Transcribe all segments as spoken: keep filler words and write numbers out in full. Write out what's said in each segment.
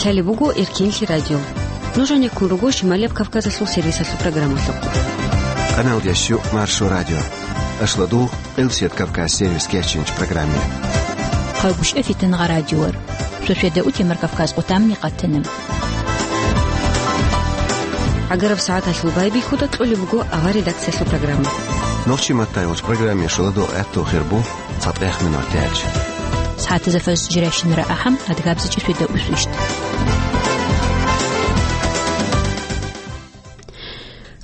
Лъалеб буго Эркенлъи радио. Нуж гьанеккун руго Шималияб Кавказалъул сервисалъул программалъухъ. Къаналдящу Маршо радио. Ашладугъ, Къилсият Кавказ сервис кечинч программе. Хъагушев Фитангъа радиор. Шошеда утемар Кавказ къутамни къатана. ГӀагараб сагӀаталъул байбихьуда кьолеб буго авар редакциялъул программа. Нохчи маттай вач программе шуладо гӀатту хирбу. ЦатӀех минутач. СагӀатазда фажр жирашинара ахӀам, адгабзичӀи шуйда усвищ.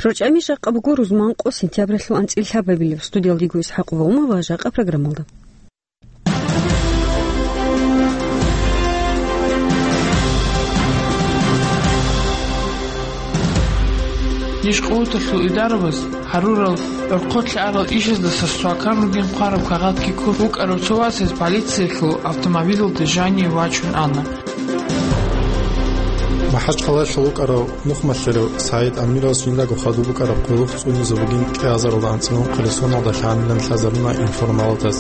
РорчӀами жакъа буго рузман къо сентябралъул анцӀил лъабабилеб. Студиялдего ИсхӀакъ Ваумова жакъа программалда. Нижкъоялъул идарабаз гьарурал гӀорхъолъи арал ишаздаса свакан ругин хъвараб кагъатги ккун вукӀарав цо васас полициялъул автомобилалде жание вачун ана. МахӀачхъалаялъул вукӀарав нухмалъарав СагӀид Амиров жиндаго хадуб букӀараб къулухъ цӀунизе бугин кӀиазаралда анцӀила ункъоялда соналда лъанилан лъазабуна информалатаз.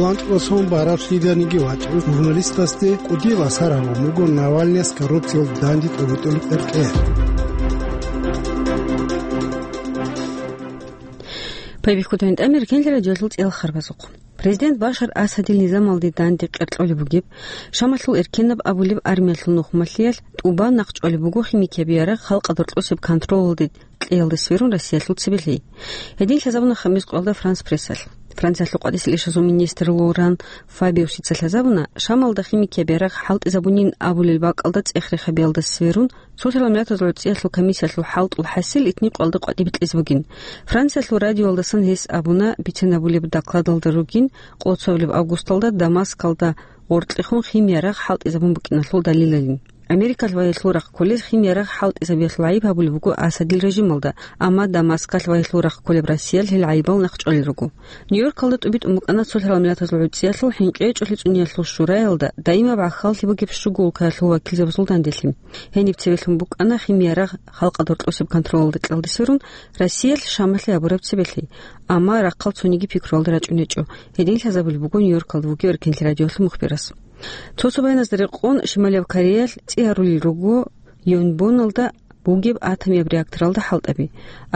Ланкьосон бараб лъиданиги вачӀун журналистасде кӀудиял асар гьабун буго Навальныяс коррупциялда данде тӀобитӀулеб кьеркье. Пайбихьуда гьанже Эркенлъи радиоялъул цӀел харбазухъ. Президент Башар Асадил низамалде данде кьеркьолеб бугеб, Шамалъул эркенаб абулеб армиялъул нухмалъиялъ тӀубан нахъчӀвалеб буго химикияб ярагъ халкъалда рокьосеб контролалде кьеялда сверун Россиялъул цебе лъей. Гьедин лъазабуна хамис къоялда Франс Прессалъ. Франциялъул къватӀисел ишазул министр Лоран Фабиусица лъазабуна, Шамалда химикияб ярагъ хӀалтӀизабунин абулел бакӀалда цӀех-рех гьабиялда сверун, Цоцерал Миллатазул ГӀуцӀиялъул комиссиялъул хӀалтӀул хӀасил итни къоялда къватӀибе кьезе бугин. Франциялъул радиоялдасан гьес абуна, бицен абулеб докладалда ругин, къоло цо абулеб августалда Дамаскалда гъоркьехун химиярагъ хӀалтӀизабун букӀиналъул далилалин. Америкалъ ва гьелъул рахъ кколез химиярагъ хӀалтӀизабиялъул гӀайиб гьабулеб буго Асадил режималда, амма Дамаскалъ ва гьелъул рахъ кколеб Россиялъ гьел гӀайибал нахъчӀвалел руго. Нью-Йоркалда тӀубитӀун букӀана Цоцерал Миллатазул ГӀуцӀиялъул хӀинкъичӀолъи цӀуниял шураялда даимаб гӀахьаллъи бугеб щуго улкаялъул вакилзабазул данделъи. Гьениб цевелъун букӀана химиярагъ халкъалда рокьосеб контролалда кьеялда сверун Россиялъ Шамалъе гьабураб цебе лъей, амма рахъал цониги пикруялда рачӀун гьечӀо, гьедин лъазабулеб буго Нью-Йоркалда вугев Эркенлъи радиоялъул мухбирас. Цо-цо баяназда рекъон, Шималияб Кореялъ цӀи гьарулел руго Йонбоналда бугеб атомияб реакторалда хӀалтӀаби.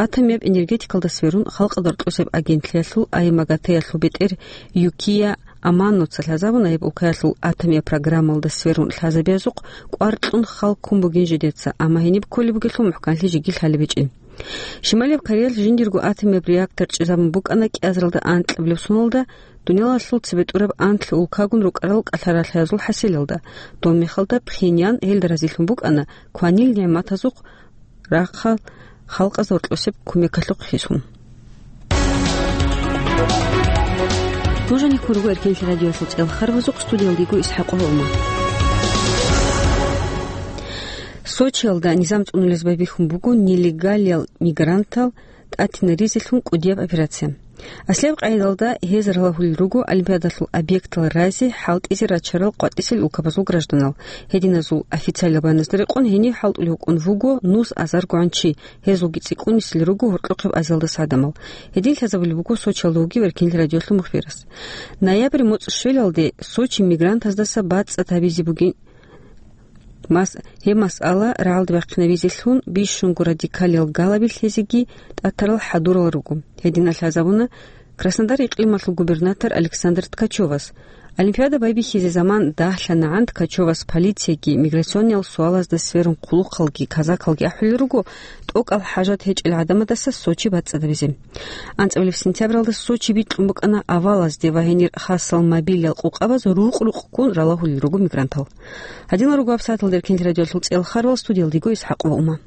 Атомияб энергетикалда сверун халкъалда рокьосеб агентлъиялъул АМАГАТЭ-ялъул бетӀер Юкия Аманоца лъазабуна гьеб улкаялъул атомияб программалда сверун лъазабиязухъ кӀвар кьун хал ккун бугин жидеца, амма гьениб кколеб бугелъул мухӀканлъи жеги лъалеб гьечӀин. Шималияб Кореялъ жиндирго атомияб реактор чӀезабун букӀана кӀиазаралда анкьабилеб соналда, дуниялалъул цебетӀураб анлъи улкагун рукӀарал кӀалъаралъиязул хӀасилалда. Доб мехалда Пхеньян гьелда разилъун букӀана кванил нигӀматазухъ рахъал халкъазда гьоркьосеб кумекалъухъ хисун. Нуж гьанеккун руго Эркенлъи радиоялъул цӀел харбазухъ, студиялдего ИсхӀакъ Гьолман. Сочиялда низам цӀунулез байбихьун буго нелегалиял мигрантал тӀатинаризелъун кӀудияб операция. Аслияб къайдалда гьез ралагьулел руго Олимпиадалъул объектал разе хӀалтӀизе рачарал къватӀисел улкабазул гражданал. Гьединазул официалаб баяназда рекъон гьенив хӀалтӀулев вукӀун вуго нус азаргогӀан чи, гьезулги цӀикӀкӀунисел руго гьоркьохъеб азиялдаса гӀадамал. Гьедин лъазабулеб буго Сочиялда вугев Эркенлъи радиоялъул мухбирас. Ноябрь моцӀ щвелалде Сочи мигрантаздаса бацӀцӀад гьабизе бугин. Мас-, гьеб масъала рагӀалде бахъинабизелъун бищунго радикалиял галаби лъезеги тӀатарал хӀадурал руго. Гьединал лъазабуна Краснодар икълималъул губернатор Александр Ткачевас. Олимпиада байбихьизе заман дагьлъанагӀан Ткачевас полицияги, миграциониял суалазда сверун хъулухъалги, казакалги ахӀулел руго тӀокӀал хӀажат гьечӀел гӀадамадаса Сочи бацӀцӀадабизе. АнцӀабилеб сентябралда Сочи бикьун букӀана авалазде ва гьенир хасал мобилиял къукъабаз рукъ-рукъккун ралагьулел руго мигрантал. Гьадинал руго гьабсагӀаталда Эркенлъи радиоялъул цӀел харбал, студиялдего ИсхӀакъ Вауман.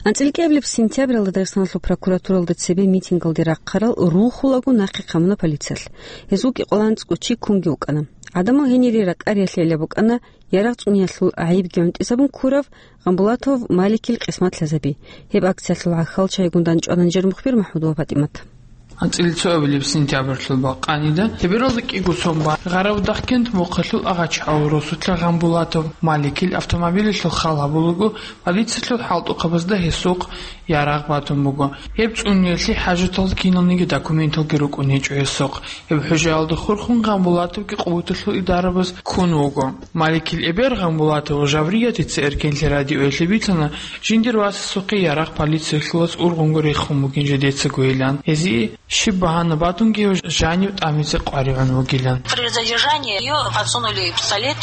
АнцӀила кӀиабилеб сентябралда Дагъистаналъул прокуратуралда цебе митингалде рахъарал рухулаго нахъе хъамуна полициялъ. Гьезул кӀикъоялда анцӀго чи ккунги вукӀана. ГӀадамал гьенире ракӀариялъе гӀелаб букӀана ярагъ цӀуниялъул гӀайибги гӀунтӀизабун ккурав Гъамбулатов Маликил къисмат лъазаби. Гьеб акциялъул гӀахьалчагӀигун дандчӀвана нижер мухбир МахӀмудова ПатӀимат. АнцӀила цоабилеб сентябрьлъул бакъанида, лъебералда кӀиго сон бан, Гъаравдахкент мухъалъул агъачагӀав росулъа Гъамбулатов Маликил автомобилялъул хал гьабулаго, полициялъул хӀалтӀухъабазда гьесухъ ярагъ батун буго. Гьеб цӀуниялъе хӀажатал киналниги документалги рукӀун гьечӀо гьесухъ. Гьеб хӀужаялда хурхун Гъамбулатовги къуваталъул идарабаз ккун вуго. Маликил эбел Гъамбулатова Жавриятица Эркенлъи радиоялъе бицана, жиндир васасухъе ярагъ полициялъулаз ургъунго рехун бугин жидецагойилан. Гьезие щиб багьана батунги гьев жанив тӀамизе къваригӀун вугилан. При задержании её подсунули пистолет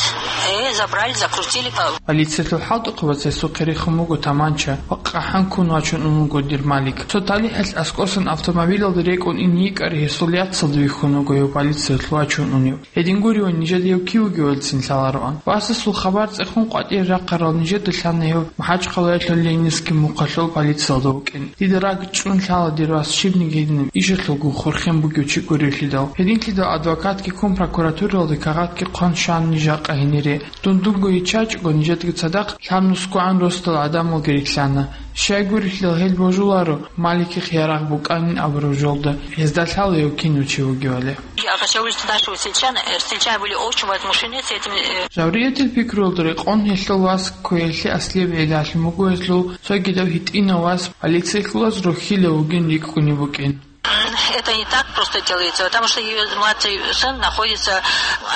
и забрали, закрутили по... Полициялъул хӀалтӀухъабаз гьесухъе рехун буго таманча ва къахӀан ккун вачун ун вуго дир Малик. Цо талихӀалъ аскӀосан автомобилалда рекӀун ин йикӀар гьесул яцалда вихьун вуго гьев полициялъ вачун унев. Гьедин гуреван, нижеда гьев кив вугевалцин лъалароан. Васасул хабар цӀехун къватӀире рахъарал нижеда лъана гьев МахӀачхъалаялъул Ленинский мухъалъул полициялда вукӀин. Дида ракӀ чӀун лъала дир вас щибниги гьединаб ишалъулгун хурхен бугев чи гуревлъидал. Гьединлъидал адвокатги ккун прокуратуралда кагъатги хъван щван ниж жакъа гьенире. Дун дунго йиччачӀого нижедаги цадахъ лъабнусгоан росдал гӀадамалги рилълъана. Щай гурелъул гьел божуларо, Маликихъ ярагъ букӀанин абураб жолда, гьезда лъала гьев кинав чи вугевали. Я хотела, что наши сельчан-, э, сельчане были очень возмущены с этим, э. Жавриятил пикруялда рекъон гьелъул вас кквеялъе аслияб гӀиллалъун буго гьелъул цогидав гьитӀинав вас полициялъулаз рухьилав вугин рикӀкӀунеб букӀин. М, это не так просто делается, потому что её младший сын находится,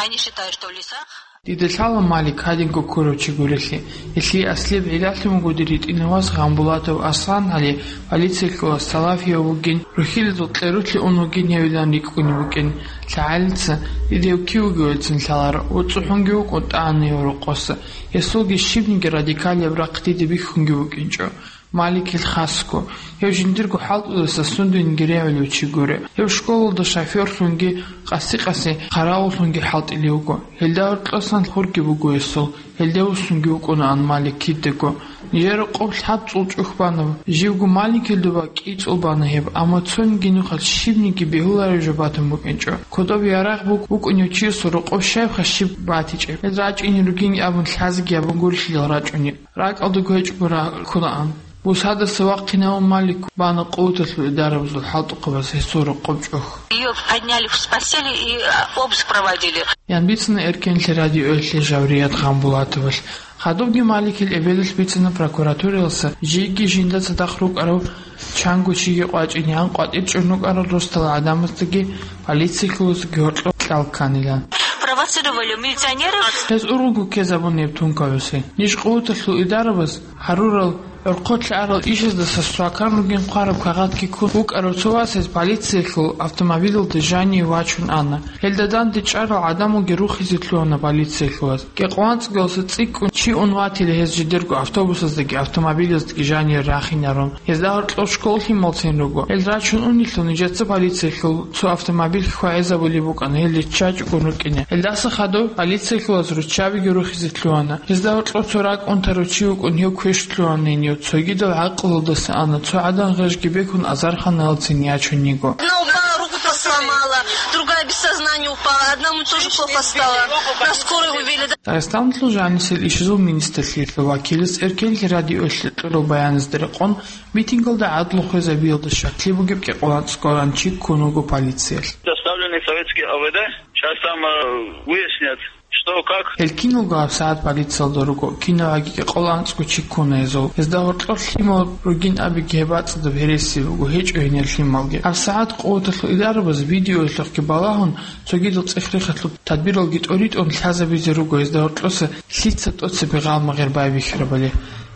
они считают, что в лесах. Дида лъала Малик гьадинго ккурав чи гурелъи. Гьелъие аслияб гӀиллалъун буго дир гьитӀинав вас Гъамбулатов Аслан гьале полициялъулаз салафияв вугин, рухьилазул кьерулъе ун вугин гьевилан рикӀкӀунеб букӀин. ЛъагӀалица, дида гьев кив вугевалцин лъаларо, ва цӀухӀунги вукӀун тӀагӀана гьев рокъоса. Гьесулги щибниги радикалияб рахъ дида бихьунги букӀинчӀо. Маликил хасго, гьев жиндирго хӀалтӀудаса сундуйниги регӀулев чи гуро. Гьев школалда шофёрлъунги, къаси-къаси хъаравуллъунги хӀалтӀулев вуго. Гьелда гьоркьосан хурги буго гьесул, гьелде вуссунги вукӀунаан Малик кидаго. Нижер рокъоб лъабцӀул чӀухӀ бана, живго Маликил доба кӀицӀул бана гьеб, амма цониги нухалъ щибниги бегьуларев жо батун букӀинчӀо. Кодоб ярагъ бук-, букӀунев чиясул рокъоб щайха щиб батичӀеб? Гьез рачӀине ругин абун лъазеги гьабун гурелъидал рачӀунеб. РакӀалдаго гьечӀого ракӀунаан. Бусадаса вахъинавун Малик бана къуваталъул идарабазул хӀалтӀухъабаз гьесул рокъоб чӀухӀ. Её подняли с постели и, а, обыск проводили. Ян бицана Эркенлъи радиоялъе Жаврият Гъамбулатовалъ. Хадубги Маликил эбелалъ бицана прокуратураялъа жийги жинда цадахъ рукӀарав чанго чиги къвачӀин, ян къватӀир чӀун рукӀарал росдал гӀадамаздаги полициялъулаздаги гьоркьоб кьал кканилан. Провоцировали милиционеров. Гьез ургъунго ккезабун гьеб тункаялъе. Ниж къуваталъул идарабаз гьарурал, гӀорхъолъи арал ишаздаса свакан ругин хъвараб кагъатги ккун вукӀарав цо вас гьез полициялъул автомобилалда жаниве вачун ана. Гьелда данде чӀарал гӀадамалги рухизе лъугьана полициялъулаз. КӀикъоялда анцӀгоялдаса цӀикӀкӀун чи ун ватила гьез жидерго автобусаздаги автомобилаздаги жаниве рахинарун. Гьезда гьоркьоб школ лъималцин руго. Гьел рачун унелъул нижеца полициялъул цо автомобиль хьвагӀизабулеб букӀана, гьел риччачӀого рукӀине. Гьелдаса хадуб полициялъулаз руччабиги рухизе лъугьана. Гьезда гьоркьоб цо ракӀ унтарав чи вукӀун гьев квеш лъугьана гьенив, цогидал гӀакълуялдаса ана, цо гӀадан гъежги бекун азарханалцин ячун йиго. Одна упала, руку сломала, другая без сознания упала, одному тоже плохо стало. На скорой увезли. Дагъистаналъул жанисел ишазул министрлъиялъул вакилас Эркенлъи радиоялъе кьураб баяназда рекъон, митингалда гӀадлу хвезабиялда щаклъи бугеб кӀикъоялда анцӀго чи ккун вуго полициялъ. Доставленный советский А В Д, щас там, э, выяснят, что как. Гьел киналго гьабсагӀат полициялда руго, кинабгӀаги кӀикъоялда анцӀго чи ккуна гьезул. Гьезда гьоркьоб лъимал ругин абиги гьеб бацӀцӀадаб гьереси буго, гьечӀо гьенир лъималги. ГьабсагӀат къуваталъул идарабаз видеоялъухъги балагьун, цогидал цӀех-рехалъул тадбиралги тӀоритӀун лъазабизе руго гьезда гьоркьоса лъица тӀоцебе гъалмагъир байбихьарабали.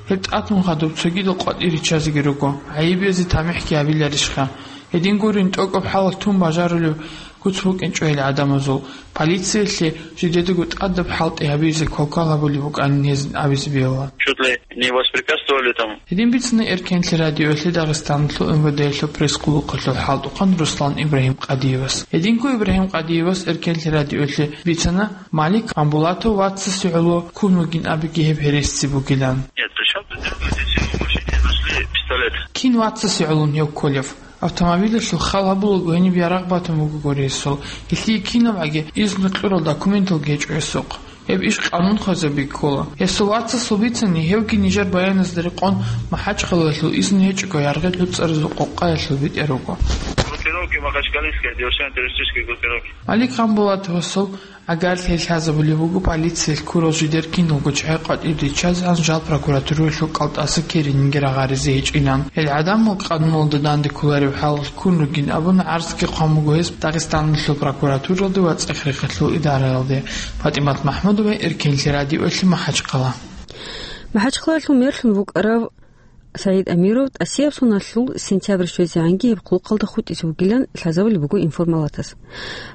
Гьеб тӀатун хадуб цогидал къватӀир риччазеги руго, гӀайиб гьезие тамихӀги гьабиларищха? Гьедин гурин, тӀокӀаб хӀалалъ тун бажарулеб куц букӀинчӀо гьел гӀадамазул. Полициялъе жидедаго тӀадаб хӀалтӀи гьабизе квалквал гьабулеб букӀанин гьезин абизе бегьула. Чуть ли не воспрепятствовали там. Гьедин бицана Эркенлъи радиоялъе Дагъистаналъул М В Д-ялъул пресс-къулухъалъул хӀалтӀухъан Руслан Ибрагьим Къадиевас. Гьединго Ибрагьим Къадиевас Эркенлъи радиоялъе бицана, Малик Гъамбулатов вацасе гӀоло ккун вугин абиги гьеб гьереси бугилан. Нет, при чём тут дети, силу мужчине нашли пистолет? Кин вацасе гӀоло гьев кколев? Автомобилалъул хал гьабулаго гьениб ярагъ батун бугогури гьесул. Гьелъие кинабгӀаги изну кьурал документалги гьечӀо гьесухъ. Гьеб иш къанун хвезаби ккола. Гьесул вацасул бицани, гьевги нижер баяназда рекъон МахӀачхъалаялъул изну гьечӀого яргъи лъуцӀаразул къокъаялъул битӀер руго. Группировки Махачкалинская, диверсионно-террористические группировки. Алик Ханбулатовасул гӀагарлъи лъазабулеб буго полициялъ ккурал жидер киналго чагӀи къватӀиб риччаз гьанжал прокуратуралъул кӀалтӀаса керениги рагъаризе гьечӀилан. Гьел гӀадамал къануналда данде кколареб хӀалалъ ккун ругин абун гӀарцги хъван буго гьес Дагъистаналъул прокуратуралде ва цӀех-рехалъул идараялде. ПатӀимат МахӀмудова, Эркенлъи радиоялъе, МахӀачхъала. МахӀачхъалалъул мерлъун вукӀарав СагӀид Амиров тӀасияб соналъул сентябрь щвезегӀанги гьеб хъулухъалда хутӀизе вугилан лъазабулеб буго информалатас.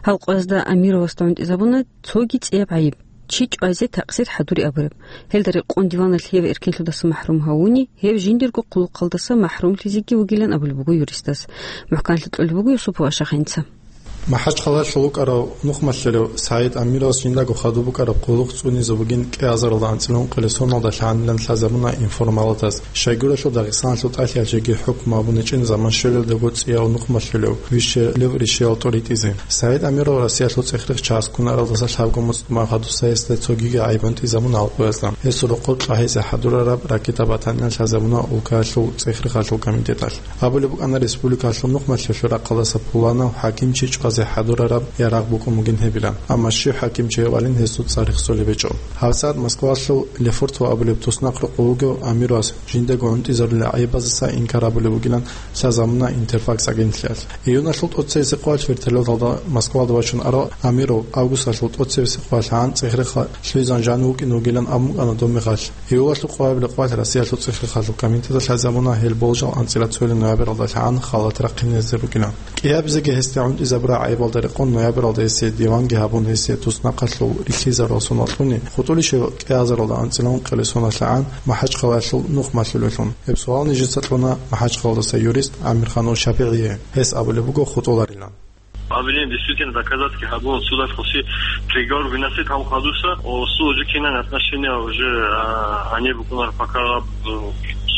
Гьав къоязда Амировасда гӀунтӀизабуна цоги цӀияб гӀайиб, чи чӀвазе такъсир хӀадури абураб. Гьелда рекъон диваналъ гьев эркенлъудаса махӀрум гьавуни, гьев жиндирго хъулухъалдаса махӀрумлъизеги вугилан абулеб буго юристас. МухӀканлъи кьолеб буго Юсупов Ашахинца. МахӀачхъалалъул вукӀарав нухмалъулев СагӀид Амировас жиндаго хадуб букӀараб хъулухъ цӀунизе бугин кӀиазаралда анцӀила ункъилесоналда лъанилан лъазабуна информалатас. Щайгурелъул Дагъистаналъул тӀалъиялъеги хӀукму абуничӀин заман щвелелдаго цӀияв нухмалъулев вищелев ришиял тӀоритӀизе. СагӀид Амиров Россиялъул цӀехрихъ часкунаралдаса лъабго муцӀ тӀубан хадуса гьесда цогиги гӀайиб гьунтӀизабуна алкъуязда. Гьесул рокъор кьа гьезе хӀадурараб ракета батаниялъ лъазабуна улкаялъул цӀехрихъалъул комитеталъ. Абулеб букӀана республикалъул нухмалъулъул рахъалдаса пуланав хӀакимчи чӀвазе хӀадурараб ярагъ букӀун бугин гьебилан, амма щив хӀакимчи гьев валин гьесул цӀар рехсолеб гьечӀо. ГьабсагӀат Москвалъул Лефортово абулеб туснахъ рокъов вугев Амировас жиндаго гӀунтӀизарулел гӀайибазеса инкар абулеб бугилан лъазабуна Интерфакс агентлъиялъ. Июналъул тӀоцевесеб къоялъ вертолеталда Москвалда вачун арал Амиров августалъул тӀоцевесеб къоялъгӀан цӀехрихъа лъугьизан жанив вукӀине вугилан абун букӀана доб мехалъ. Июлалъул къоялъ Россиялъул цӀехрихъалъул комитеталъ лъазабуна гьел болжал анцӀила цоял ноябралдалъгӀан халат рахъинезе ругилан. КӀиабизеги гьесда гӀунтӀизабураб гӀайибалда рекъон ноябралда гьесие диванги гьабун, гьесие туснахъалъул рихьизарал соналъуни хутӀулищев кӀиазаралда анцӀила ункъилесоналъгӀан МахӀачхъалалъул нухмалъулелъун? Гьеб суал нижеца кьуна МахӀачхъалалдаса юрист ГӀамирханов ШапигӀие. Гьес абулеб буго хутӀуларилан. Обвинение действительно доказательства гьабун, судалъ хъуси приговор выносит гьав хадуса, о, суд уже кинан отношения уже, а, они буквально пока, э,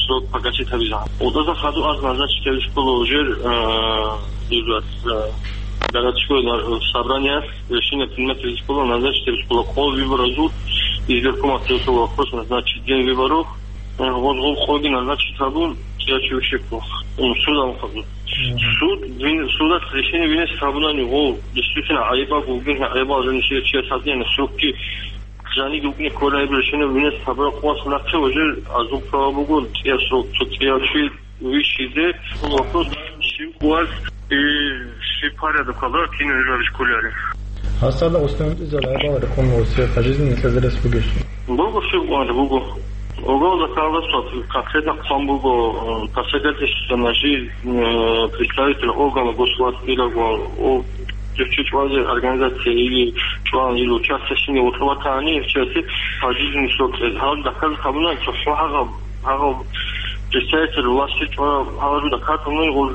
срок погасить гьабизан. Удаза хаду аз назначить гьабиз ккола уже, э, дузат, э, городской на-, собрание решение принять гьабиз ккола, назначить гьабиз ккола къо выборазул, избиркомат решил вопрос назначить день выборов, э, гъоз гъол къоги назначить гьабун, я чевщик, м, суд гьав хадур. Суд вин-, судалъ решение винес гьабунани гъов, действительно, гӀайибал бугин, гӀайибал жанишиялъ чияс гьадинани срокги жаниги вукӀине кколеб решение винес гьабураб къоялъ нахъе уже азул права буго, цӀияб срок, цо цӀияб чи вищизе, вопрос, щив къоялъ и щиб порядокалда кинаб жо гьабизе кколареб. Гьасда устан изал гӀайибал рекъон ва пожизненный кьезарас бугищ? Буго, щиб къоялъ буго. Уголовный законодательство конкретно хъван буго, э, посягательство на жизнь, э, представителя органа госвласти или, о, чи чӀвазе организация или член, или участие в ней, вот, вот они, в части пожизненный срок. Гьал даказ хабуна, цо хӀу гьагъаб, гьагъаб представитель власти чӀвара, гьал даказ хабуна, гъол,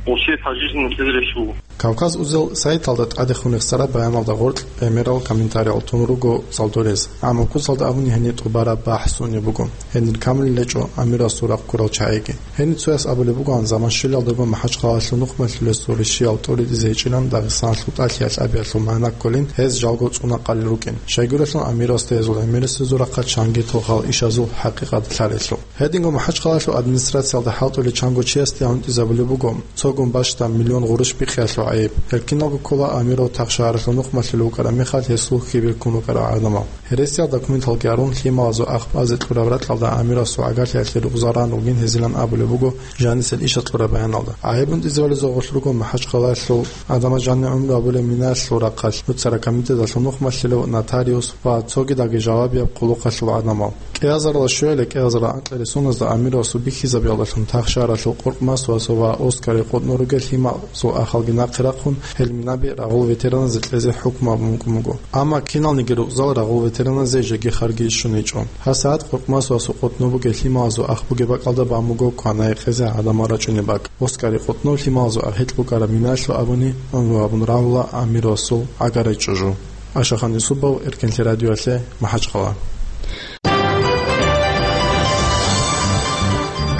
гъол все пожизненный кьезарас буго. Кавказ узел сайталда тӀадехун рехсараб баяналда гъоркь гӀемерал комментариял тун руго цӀалдорез, амма куцалда абуни гьенир тӀубараб бахӀс унеб буго. Гьенир камулел гьечӀо Амирасул рахъ ккурал чагӀиги. Гьенир цояс абулеб бугоан, заман щвелалдаго МахӀачхъалалъул нухмалъулесул ришиял тӀоритӀизе гьечӀилан Дагъистаналъул тӀалъиялъ абиялъул магӀна кколин, гьез жалго цӀуна къалел рукӀин. Щайгурелъул Амирасда гьезул гӀемерисезул рахъалъ чанги тохал ишазул хӀакъикъат лъалелъул. Гьединго МахӀачхъалалъул администрациялда хӀалтӀулел чанго чиясде гӀунтӀизабулеб буго цогун бащдаб миллион гъурущ биххиялъул гӀайиб. Гьел киналго ккола Амиров тахшагьаралъул нухмалъулев вукӀараб мехалъ гьесул хьибил ккун рукӀарал гӀадамал. Гьересиял документалги гьарун, лъималазул ахӀ базе кьураб ракьалда Амировасул гӀагарлъиялъе рукъзал ран ругин гьезилан абулеб буго жанисел ишаз кьураб баяналда. ГӀайиб гьунтӀизабулезул гъорлъ руго МахӀачхъалалъул гӀадамаз жанир гӀумру гьабулеб минаялъул рахъалъ нуцарал комитеталъул нухмалъулев, нотариус ва цогидаги жавабияб хъулухъалъул гӀадамал. КӀиазарала щуялъе кӀиазарал анкьилел соназда Амировасул бихьизабиялдалъун тахшагьаралъул Къуркъмасовасул ва Оскарил къотӀнов ругел лъималазул ахалги нахъе рахъун, гьел минаби рагъул ветераназе кьезе хӀукму абун букӀун буго. Амма киналниги рукъзал рагъул ветераназе жеги харги щун гьечӀо. ГьасагӀат Къуркъмасовасул къотӀнов бугел лъималазул ахӀ бугеб бакӀалда бан буго кванай кьезе гӀадамал рачӀунеб бакӀ. Оскарил къотӀнов лъималазул ахӀ гьечӀ букӀараб минаялъул абуни, гӀумру гьабун рагьула Амировасул гӀагарай чӀужу. Ашахан Юсупов, Эркенлъи радиоялъе, МахӀачхъала.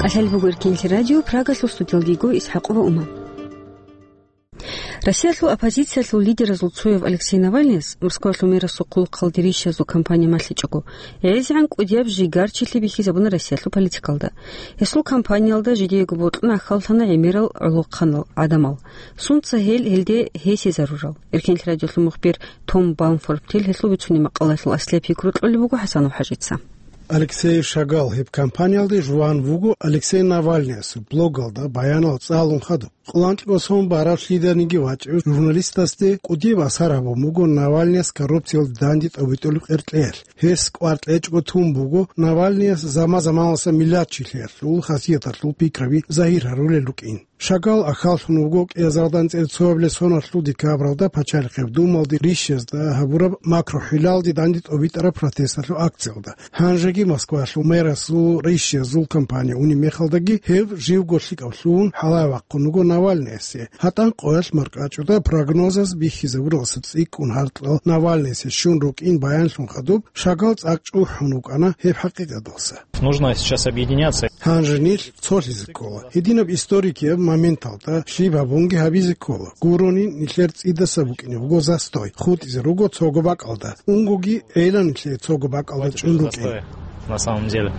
КӀалъалеб буго Эркенлъи радио, Прагалъул студиялда йиго ИсхӀакъова Ума. Россиялъул оппозициялъул лидеразул цояв Алексей Навальныяс Москвалъул мерасул хъулухъалде рищиязул кампания малъичӀого, гӀезегӀан кӀудияб жигарчилъи бихьизабуна Россиялъул политикалда. Гьесул кампаниялда жидеего бокьун ахьаллъана гӀемерал гӀолохъанал гӀадамал. Сунца гьел гьелде гьесие зарурал? Эркенлъи радиолъул мухбир Том Балмфортил гьелъул бицунеб макъалаялъул аслияб пикру кьолеб буго ХӀасанов ХӀажица. Алексей Шагал гьеб кампаниялде жуван вуго Алексей Навальныясул блогалда баянал цӀалун хадуб. Къоло анкьго сон бараб лъиданиги вачӀев журналистасде кӀудияб асар гьабун буго Навальныяс коррупциялде данде тӀобитӀулеб къеркьеялъ. Гьес кӀвар кьечӀого тун буго Навальныяс заман-заманалъа миллатчилъиялъул хасияталъул пикраби загьир гьарулел рукӀин. Шагал ахьаллъун вуго кӀиазардан цӀерцояблъи соналъул декабралда Пачалихъеб Думалде рищиязда гьабураб макрохӀилалде данде тӀобитӀараб протесталъул акциялда. Гьанжеги Москвалъул мерасул рищиязул кампания унеб мехалдаги гьев живго лъикӀав лъугьун хӀалае вахъун вуго Навальныясе. ГьатӀан къоялъ маркӀачӀуда прогнозаз бихьизабуралдаса цӀикӀкӀун гьаркьал Навальныясе щун рукӀин баянлъун хадуб, Шагал цӀакъ чӀухӀун вукӀана гьеб хӀакъикъаталдаса. Нужно сейчас объединяться. Гьанже нилъ цолъизе ккола. Гьединаб историкияб моменталда щиб гьабунги гьабизе ккола. Гурони нилъер цӀидаса букӀине буго застой, хутӀизе руго цого бакӀалда. Унгоги гӀела нилъее цого бакӀалда чӀун рукӀин. На самом деле.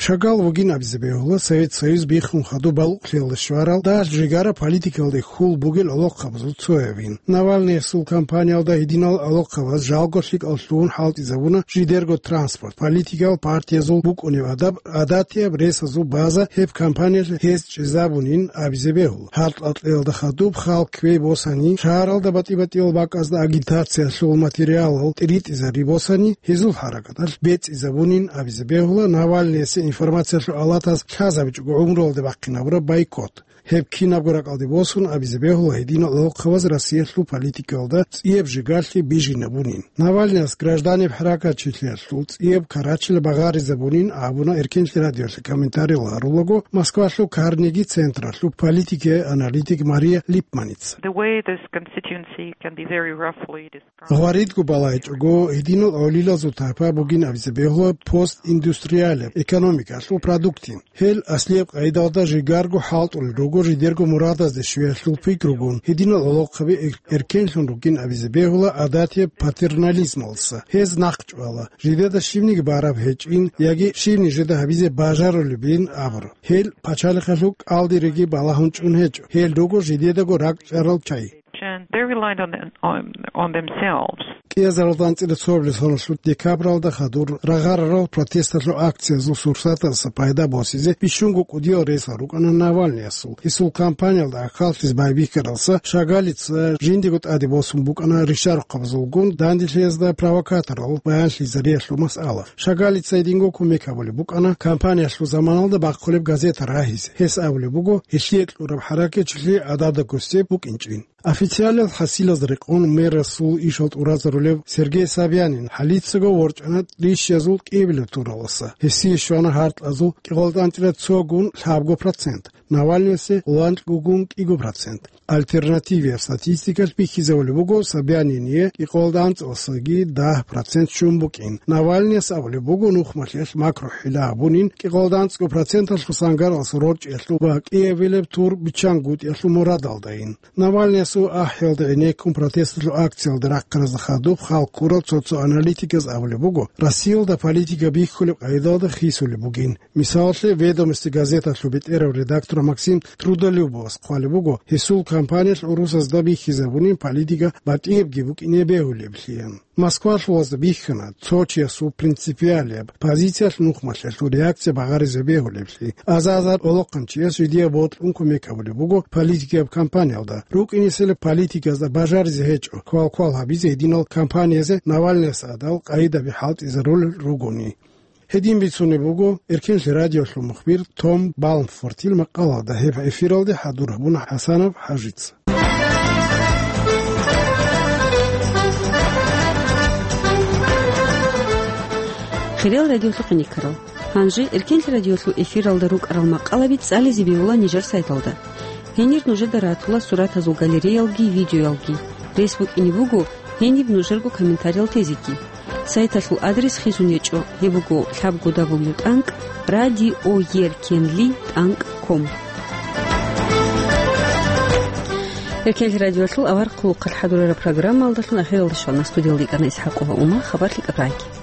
Шагал вугин абизе бегьула Совет Союз биххун хадуб балугълъиялда щварал дагь жигара политикалде хьул бугел гӀолохъабазул цоявин. Навальныясул кампаниялда гьединал гӀолохъабаз жалго лъикӀал лъугьун хӀалтӀизабуна жидерго транспорт, политикал партиязул букӀунеб адаб, гӀадатияб ресазул база гьеб кампаниялъ гьез чӀезабунин абизе бегьула. Гьаркьал кьеялда хадуб хал кквей босани, шагьаралда батӀи-батӀиял бакӀазда агитациялъул материалал тӀиритӀизари босани, гьезул хӀаракаталъ бецӀизабунин абизе бегьула Навальныясе информациялъул алатаз лъазабичӀого гӀумруялде бахъинабураб бойкот. Гьеб кинабго ракӀалде босун абизе бегьула гьединал гӀолохъабаз Россиялъул политикалда цӀияб жигарлъи бижинабунин. Навальныяс гражданиб хӀаракатчилъиялъул цӀияб карачила багъаризабунин абуна Эркенлъи радиолъе комментариял гьарулаго Москвалъул Карнеги централъул политикияй аналитик Мария Липманица. The way this constituency can be very roughly described. Гъваридго балайчӀого, гьединал гӀолилазул тайпа бугин абизе бегьула постиндустриалияб экономикалъул продуктин. Гьел аслияб къайдалда жигарго хӀалтӀулел руго жидерго мурадазде щвеялъул пикругун, гьединал гӀолохъаби эр-, эркенлъун ругин абизе бегьула гӀадатияб патернализмалса. Гьез нахъчӀвала, жидеда щибниги бараб гьечӀин яги щибни жеда гьабизе бажарулебин абураб. Гьел пачалихъалъул кӀалдириги балагьун чӀун гьечӀо, гьел руго жидедаго ракӀчӀарал чагӀи. And they relied on, on, on themselves. КӀиазаралда анцӀила цоабилеб соналъул декабралда хадур рагъарарал протесталъул акциязул сурсаталдаса пайда босизе бищунго кӀудиял ресал рукӀана Навальныясул. Гьесул кампаниялда ахӀаллъизе байбихьаралса Шагалица жиндиего тӀаде босун букӀана ришарухъабазулгун данделъиязда провокаторал баянлъизариялъул масъала. Шагалица гьединго кумек гьабулеб букӀана кампаниялъул заманалда бахъулеб газета рагьизе. Гьес абулеб буго, гьелъие кьураб хӀаракатчилъи гӀадада гусеб букӀинчӀин. Официалияб хӀасилаз рекъон мэрасул ишал тӀуразарулев Сергей Собянин хӀалицаго ворчӀана рищиязул кӀиабилеб тураласа. Гьесие щвана гьаркьазул кӀикъоялда анцӀила цогун лъабго процент, Навальныясе лъабкьогун кӀиго процент. Альтернативияб статистикалъ бихьизабулеб буго Собянине кӀикъоялда анцӀаласаги дагь процент щун букӀин. Навальныяс абулеб буго нухмалъиялъ макрохӀила гьабунин кӀикъоялда анцӀго проценталъул сангаралъ рорчӀиялъул ва кӀиабилеб тур биччангутӀиялъул мурадалдайин. Навальныясул ахӀиялда гӀенеккун протесталъул акциялда рахъаразда хадуб хал ккурал цо-цо аналитиказ абулеб буго, Россиялда политика бихьулеб къайдалда хисулеб бугин. Мисалалъе, «Ведомости» газеталъул бетӀерав редактор Максим Трудолюбовас хъвалеб буго, гьесул кампаниялъ гӀурусазда бихьизабунин политика батӀиябги букӀине бегьулеблъи. Москвалъулазда бихьана цо чиясул принципиалияб позициялъ нухмалъиялъул реакция багъаризе бегьулеблъи. Аза-азар гӀолохъанчияс жидее бокьун кумек гьабулеб буго политикияб кампаниялда. РукӀинесел политиказда бажаризе гьечӀо квалквал гьабизе гьединал кампаниязе Навальныяс гӀадал къайдаби хӀалтӀизарулел ругони. Гьедин бицунеб буго Эркенлъи радиолъул мухбир Том Балмфортил макъалаялда, гьеб эфиралде хӀадур гьабуна ХӀасанов ХӀажица. Хириял радиолъухъе никарал. Гьанже Эркенлъи радиолъул эфиралда рукӀарал макъалаби цӀализе бегьула нижер сайталда. Гьенир нужеда ратула суратазул галереялги видеоялги. Рес букӀине буго гьениб нужерго комментариял тезеги. Сайталъул адрес хисун гьечӀо, гьеб буго лъабго дабл ю тӀанкӀ радиоеркенли тӀанкӀ ком. Эркенлъи радиоялъул аварагасул хъалхъалъ хӀадурараб программаялдалъун ахиралде щвана. Студиялда йикӀана ИсхӀакъова Ума, хабар лъикӀаб рагӀи.